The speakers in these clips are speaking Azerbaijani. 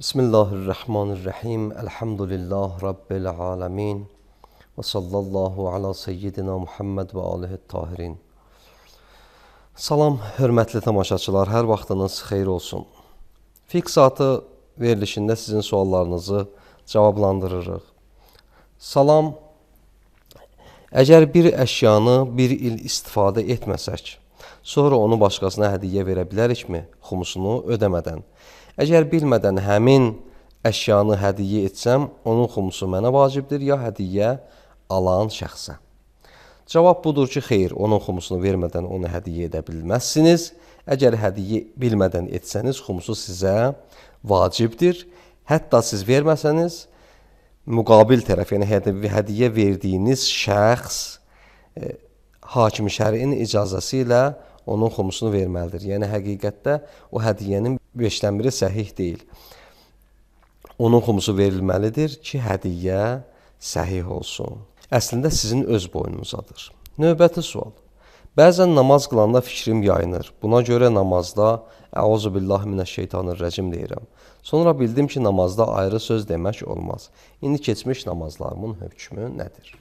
Bismillahirrahmanirrahim. Elhamdülillah Rabbil alemin. Və sallallahu ala seyyidina Muhammed və alihi tahirin. Salam, hörmətli tamaşaçılar, hər vaxtınız xeyir olsun. Fiqh saatı verilişində sizin suallarınızı cavablandırırıq. Salam, əgər bir əşyanı bir il istifadə etməsək, sonra onu başqasına hədiyyə verə bilərikmi, xumusunu ödəmədən? Əgər bilmədən həmin əşyanı hədiyyə etsəm, onun xumusu mənə vacibdir, ya hədiyyə alan şəxsə? Cavab budur ki, xeyr, onun xumusunu vermədən onu hədiyyə edə bilməzsiniz. Əgər hədiyyə bilmədən etsəniz, xumusu sizə vacibdir. Hətta siz verməsəniz, müqabil tərəf, yəni hədiyyə verdiyiniz şəxs hakim-i şəriin icazəsi ilə onun xumusunu verməlidir. Yəni, həqiqətdə o hədiyyənin 5-dən biri səhih deyil. Onun xumusu verilməlidir ki, hədiyyə səhih olsun. Əslində sizin öz boynunuzadır. Növbəti sual. Bəzən namaz qılanda fikrim yayınır. Buna görə namazda Əuzubillahi minəşşeytanirrəcim deyirəm. Sonra bildim ki, namazda ayrı söz demək olmaz. İndi keçmiş namazlarımın hökmü nədir?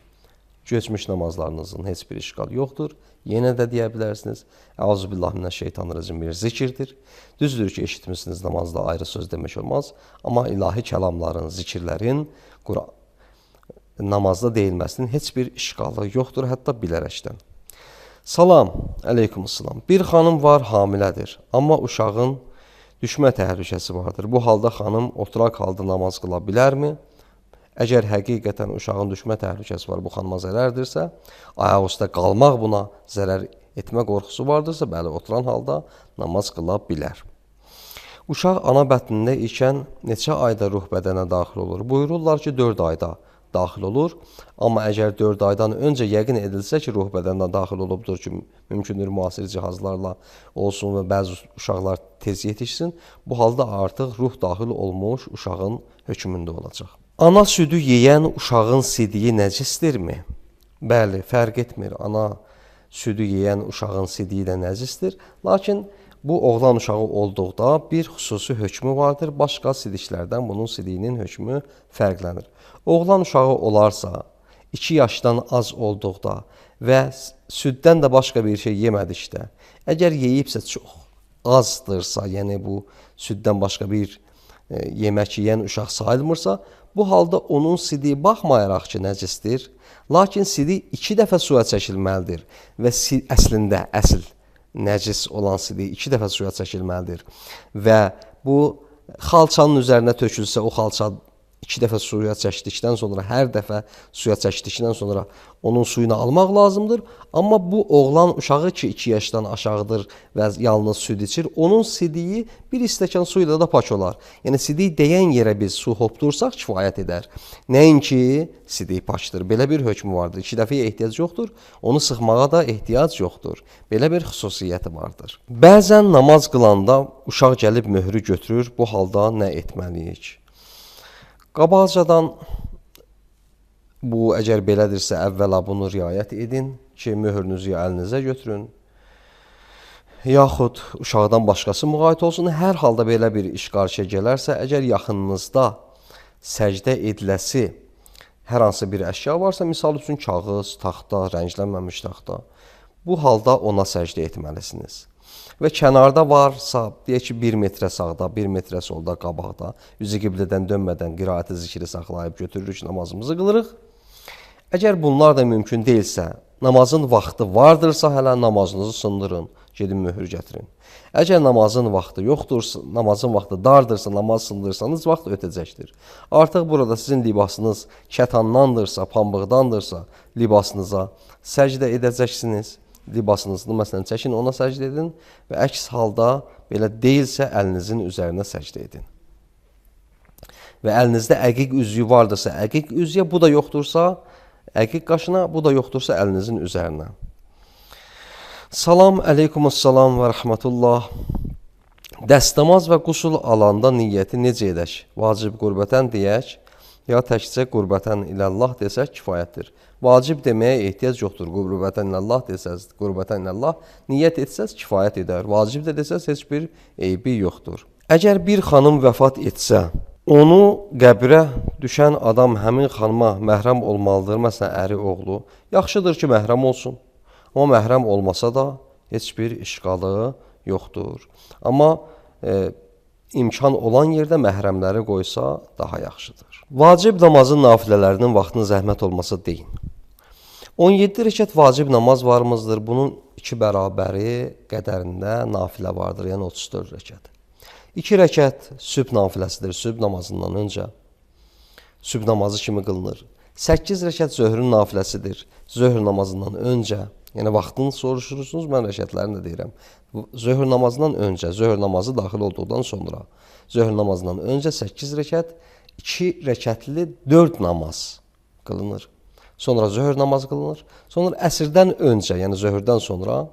Keçmiş namazlarınızın heç bir işgal yoxdur. Yenə də deyə bilərsiniz. Əuzubillahi minəşşeytanirracim bir zikirdir. Düzdür ki, eşitmişsiniz namazda ayrı söz demək olmaz. Amma ilahi kəlamların, zikirlərin namazda deyilməsinin heç bir işgalı yoxdur, hətta bilərəkdən. Salam, əleykumussalam. Bir xanım var, hamilədir. Amma uşağın düşmə təhlükəsi vardır. Bu halda xanım oturaq halda namaz qıla bilərmi? Əgər həqiqətən uşağın düşmə təhlükəsi var, bu xanıma zərərdirsə, ayaq üstə qalmaq buna zərər etmə qorxusu vardırsa, bəli, oturan halda namaz qıla bilər. Uşaq ana bətnində ikən neçə ayda ruh bədənə daxil olur? Buyururlar ki, 4 ayda daxil olur. Amma əgər 4 aydan öncə yəqin edilsə ki, ruh bədənə daxil olubdur ki, mümkündür müasir cihazlarla olsun və bəzi uşaqlar tez yetişsin, bu halda artıq ruh daxil olmuş uşağın hökmündə olacaq. Ana südü yeyən uşağın sidiyi nəcisdirmi? Bəli, fərq etmir. Ana südü yeyən uşağın sidiyi də nəcisdir. Lakin bu oğlan uşağı olduqda bir xüsusi hökmü vardır. Başqa sidiklərdən bunun sidiyinin hökmü fərqlənir. Oğlan uşağı olarsa, 2 yaşdan az olduqda və süddən də başqa bir şey yemədikdə, əgər yeyibsə çox azdırsa, yəni bu süddən başqa bir yemək yeyən uşaq sayılmırsa, bu halda onun sidiyi baxmayaraq ki, nəcisdir, lakin sidik 2 dəfə suya çəkilməlidir və əslində, əsl nəcis olan sidik 2 dəfə suya çəkilməlidir və bu xalçanın üzərinə tökülsə, o xalça 2 dəfə suya çəkdikdən sonra, hər dəfə suya çəkdikdən sonra onun suyunu almaq lazımdır. Amma bu oğlan uşağı ki 2 yaşdan aşağıdır və yalnız süd içir, onun sidiyi bir stəkan su ilə də pak olar. Yəni sidik deyən yerə biz su hopdursaq kifayət edər. Nəinki sidik pakdır. Belə bir hökmü vardır. 2 dəfəyə ehtiyac yoxdur, onu sıxmağa da ehtiyac yoxdur. Belə bir xüsusiyyəti vardır. Bəzən namaz qılanda uşaq gəlib möhrü götürür, bu halda nə etməliyik? Qabaqcadan bu əgər belədirsə, əvvəla bunu riayət edin ki, möhrünüzü əlinizə götürün. Yaxud uşaqdan başqası müğayət olsun. Hər halda belə bir iş qarşıya gələrsə, əgər yaxınınızda səcdə ediləsi hər hansı bir əşya varsa, misal üçün kağız, taxta, rənglənməmiş taxta, bu halda ona səcdə etməlisiniz. Və kənarda varsa, deyək ki, 1 metrə sağda, 1 metrə solda, qabaqda, üzü qiblədən dönmədən qiraəti zikri saxlayıb götürürük, namazımızı qılırıq. Əgər bunlar da mümkün deyilsə, namazın vaxtı vardırsa, hələ namazınızı sındırın, gedin möhür gətirin. Əgər namazın vaxtı yoxdursa, namazın vaxtı dardırsa, namaz sındırsanız, vaxt ötəcəkdir. Artıq burada sizin libasınız kətanlandırsa, pambıqdandırsa, libasınıza səcdə edəcəksiniz. Libasınızı məsələn çəkin, ona səcdə edin və əks halda belə deyilsə əlinizin üzərinə səcdə edin. Və əlinizdə əqiq üzüyü vardırsa əqiq üzüyə, bu da yoxdursa əqiq qaşına, bu da yoxdursa əlinizin üzərinə. Salam, əleykumussalam və rəhmətullah. Dəstəmaz və qusul alanda niyyəti necə edək? Vacib qürbətən deyək, ya təkcə qürbətən iləllah desək kifayətdir. Vacib deməyə ehtiyac yoxdur. Qürbətən iləllah desəz, qürbətən iləllah niyyət etsəz kifayət edər. Vacib də desəz heç bir eybi yoxdur. Əgər bir xanım vəfat etsə, Onu qəbrə düşən adam həmin xanıma məhrəm olmalıdır. Məsələn, əri, oğlu. Yaxşıdır ki, məhrəm olsun. Amma məhrəm olmasa da heç bir işqalı yoxdur. Amma imkan olan yerdə məhrəmləri qoysa daha yaxşıdır. Vacib namazın nafilələrinin vaxtının zəhmət olmasa deyin. 17 rəkət vacib namaz varımızdır. Bunun 2 bərabəri qədərində nafilə vardır, yəni 34 rəkət. 2 rəkət sübh nafiləsidir, sübh namazından öncə. Sübh namazı kimi qılınır. 8 rəkət zöhrün nafiləsidir, zöhr namazından öncə. Yəni vaxtını soruşursunuz, mən rəkətlərini də deyirəm. Zöhr namazından öncə, zöhr namazı daxil olduqdan sonra, zöhr namazından öncə 8 rəkət, 2 rəkətli 4 namaz qılınır. Sonra zöhr namazı qılınır. Sonra əsrdən öncə, yəni zöhrdən sonra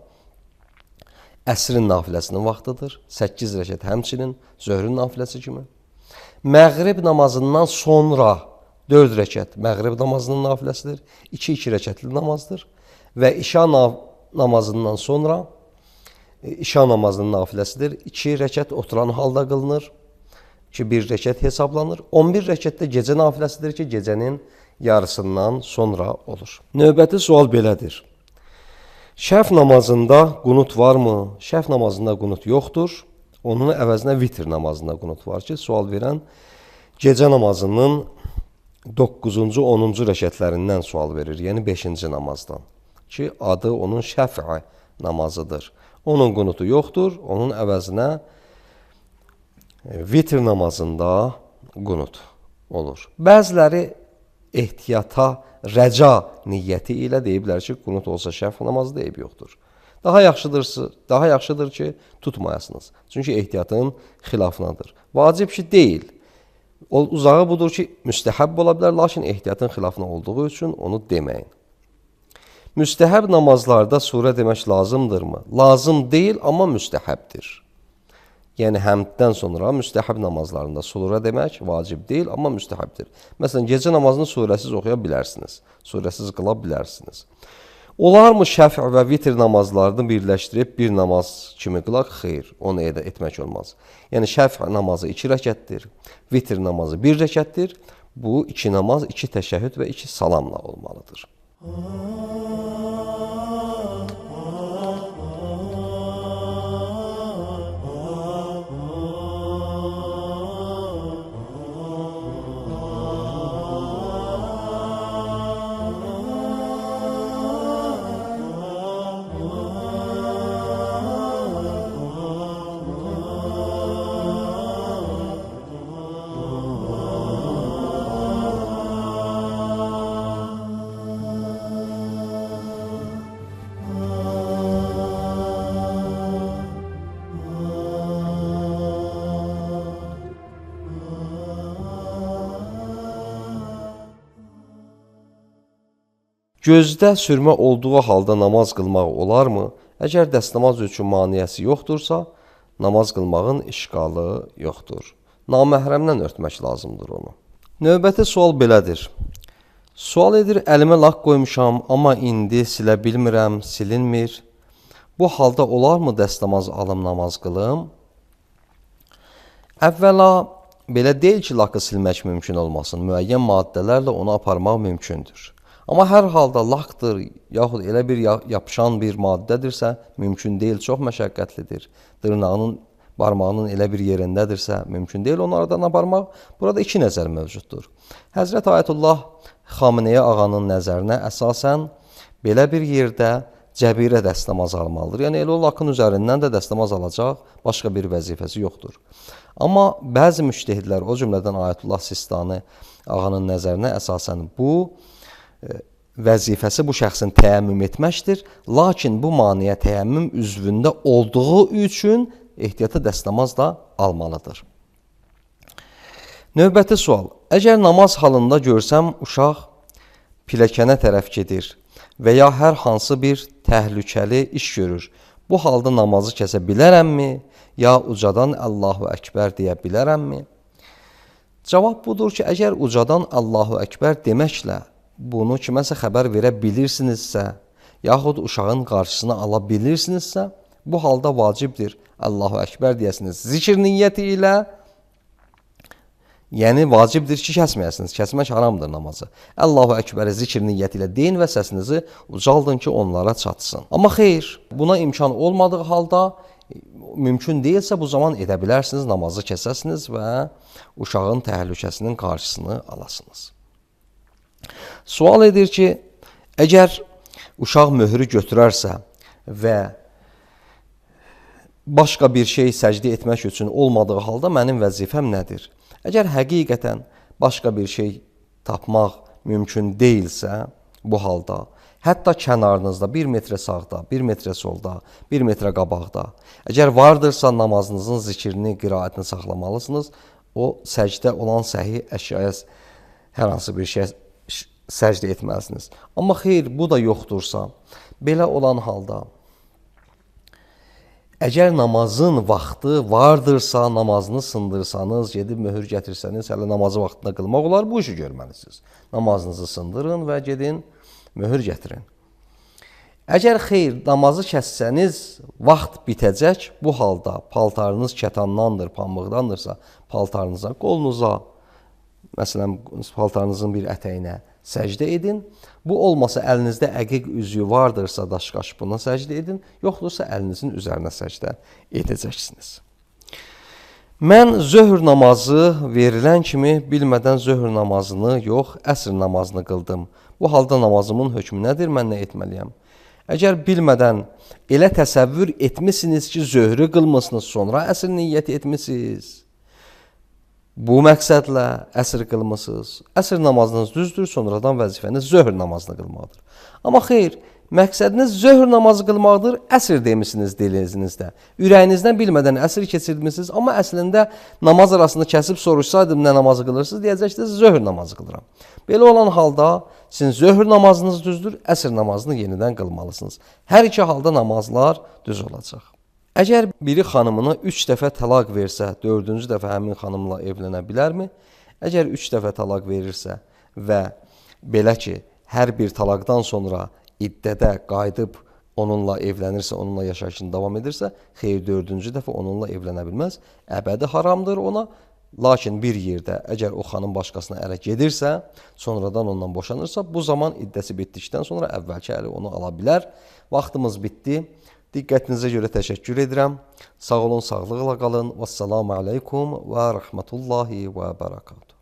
əsrin nafiləsinin vaxtıdır. 8 rəkət həmçinin zöhrün nafiləsi kimi. Məğrib namazından sonra 4 rəkət məğrib namazının nafiləsidir. 2-2 rəkətli namazdır. Və işa namazından sonra işa namazının nafiləsidir. 2 rəkət oturan halda qılınır. 1 rəkət hesablanır. 11 rəkətdə gecə nafiləsidir ki, gecənin yarısından sonra olur. Növbəti sual belədir. Şəf namazında qunut varmı? Şəf namazında qunut yoxdur. Onun əvəzinə vitr namazında qunut var ki, sual verən gecə namazının 9-cu, 10-cu rəkətlərindən sual verir. Yəni 5-ci namazdan. Ki, adı onun şəf'i namazıdır. Onun qunutu yoxdur. Onun əvəzinə vitr namazında qunut olur. Bəziləri ehtiyata rəca niyyəti ilə deyiblər ki, qunut olsa şəf namazı deyib yoxdur. Daha yaxşıdır ki, tutmayasınız. Çünki ehtiyatın xilafınadır. Vacib ki, deyil. Uzağı budur ki, müstəhəb ola bilər, lakin ehtiyatın xilafına olduğu üçün onu deməyin. Müstəhəb namazlarda surə demək lazımdırmı? Lazım deyil, amma müstəhəbdir. Yəni, həmddən sonra müstəhəb namazlarında surə demək vacib deyil, amma müstəhəbdir. Məsələn, gecə namazını surəsiz oxuya bilərsiniz, surəsiz qıla bilərsiniz. Olarmı şəf və vitr namazlarını birləşdirib bir namaz kimi qılaq? Xeyr, onu etmək olmaz. Yəni, şəf namazı 2 rəkətdir, vitr namazı 1 rəkətdir. Bu 2 namaz, 2 təşəhhüd və 2 salamla olmalıdır. Gözdə sürmə olduğu halda namaz qılmaq olarmı? Əgər dəstəmaz üçün maniyəsi yoxdursa, namaz qılmağın işqalı yoxdur. Naməhrəmdən örtmək lazımdır onu. Növbəti sual belədir. Sual edir, əlimə lak qoymuşam, amma indi silə bilmirəm, silinmir. Bu halda olarmı dəstəmaz alım namaz qılım? Əvvəla, belə deyil ki, lakı silmək mümkün olmasın. Müəyyən maddələrlə onu aparmaq mümkündür. Amma hər halda lakdır, yaxud elə bir yapışan bir maddədirsə, mümkün deyil, çox məşəqqətlidir. Dırnağının, barmağının elə bir yerindədirsə, mümkün deyil onu aradan aparmaq. Burada 2 nəzər mövcuddur. Həzrət Ayətullah Xameneyi ağanın nəzərinə əsasən belə bir yerdə cəbirə dəstəmaz almalıdır. Yəni, elə o lakın üzərindən də dəstəmaz alacaq, başqa bir vəzifəsi yoxdur. Amma bəzi müştehidlər, o cümlədən Ayətullah Sistani ağanın nəzərinə əsasən bu vəzifəsi bu şəxsin təyəmmüm etməkdir. Lakin bu maniyə təyəmmüm üzvündə olduğu üçün ehtiyata dəstəmaz da almalıdır. Növbəti sual. Əgər namaz halında görsəm uşaq pilləkənə tərəf gedir və ya hər hansı bir təhlükəli iş görür, bu halda namazı kəsə bilərəmmi? Ya ucadan Allahu Əkbər deyə bilərəmmi? Cavab budur ki, əgər ucadan Allahu Əkbər deməklə bunu kiməsə xəbər verə bilirsinizsə, yaxud uşağın qarşısına ala bilirsinizsə, bu halda vacibdir Allahu Əkbər deyəsiniz. Zikr niyyəti ilə Yəni vacibdir ki, kəsməyəsiniz. Kəsmək haramdır namazı. Allahu Əkbər zikr niyyəti ilə deyin və səsinizi ucaldın ki, onlara çatsın. Amma xeyr, buna imkan olmadığı halda mümkün deyilsə bu zaman edə bilərsiniz, namazı kəsəsiniz və uşağın təhlükəsinin qarşısını alasınız. Sual edir ki, əgər uşaq möhrü götürərsə və başqa bir şey səcdə etmək üçün olmadığı halda mənim vəzifəm nədir? Əgər həqiqətən başqa bir şey tapmaq mümkün deyilsə, bu halda hətta kənarınızda 1 metrə sağda, 1 metrə solda, 1 metrə qabaqda, əgər vardırsa namazınızın zikrini, qiraətini saxlamalısınız. O səcdə olan səhi əşyaya hər hansı bir şey səcdə etməlisiniz. Amma xeyr, bu da yoxdursa, belə olan halda əgər namazın vaxtı vardırsa, namazını sındırsanız, gedib möhür gətirsəniz, hələ namazı vaxtında qılmaq olar, bu işi görməlisiniz. Namazınızı sındırın və gedin möhür gətirin. Əgər xeyr, namazı kəssəniz, vaxt bitəcək, bu halda paltarınız kətandandır, pambıqdandırsa, paltarınıza, qolunuza, məsələn, paltarınızın bir ətəyinə səcdə edin. Bu olmasa əlinizdə əqiq üzüyü vardırsa daşqaş buna səcdə edin, yoxdursa əlinizin üzərinə səcdə edəcəksiniz. Mən zöhr namazı verilən kimi bilmədən zöhr namazını yox, əsr namazını qıldım. Bu halda namazımın hökmü nədir, mən nə etməliyəm? Əgər bilmədən elə təsəvvür etmisiniz ki, zöhrü qılmısınız, sonra əsr niyyət etmisiniz. Bu məqsədlə əsr qılmısınız. Əsr namazınız düzdür, sonradan vəzifəniz zöhr namazını qılmaqdır. Amma xeyr, məqsədiniz zöhr namazı qılmaqdır, əsr demisiniz dilinizdə. Ürəyinizdən bilmədən əsr keçirmisiniz, amma əslində namaz arasında kəsib soruşsaydım nə namazı qılırsınız, deyəcəksiniz zöhr namazı qılıram. Belə olan halda sizin zöhr namazınız düzdür, əsr namazını yenidən qılmalısınız. Hər iki halda namazlar düz olacaq. Əgər biri xanımına 3 dəfə təlaq versə, 4-cü dəfə həmin xanımla evlənə bilərmi? Əgər 3 dəfə təlaq verirsə və belə ki, hər bir təlaqdan sonra iddədə qayıdıb onunla evlənirsə, onunla yaşayışını davam edirsə, xeyr 4-cü dəfə onunla evlənə bilməz. Əbədi haramdır ona. Lakin bir yerdə əgər o xanım başqasına ərə gedirsə, sonradan ondan boşanırsa, bu zaman iddəsi bitdikdən sonra əvvəlki əri onu ala bilər. Vaxtımız bitdi. Diqqətinizə görə təşəkkür edirəm. Sağ olun, sağlıqla qalın. Vəssalamu aleykum və rəhmətullahi və bərəkatuhu.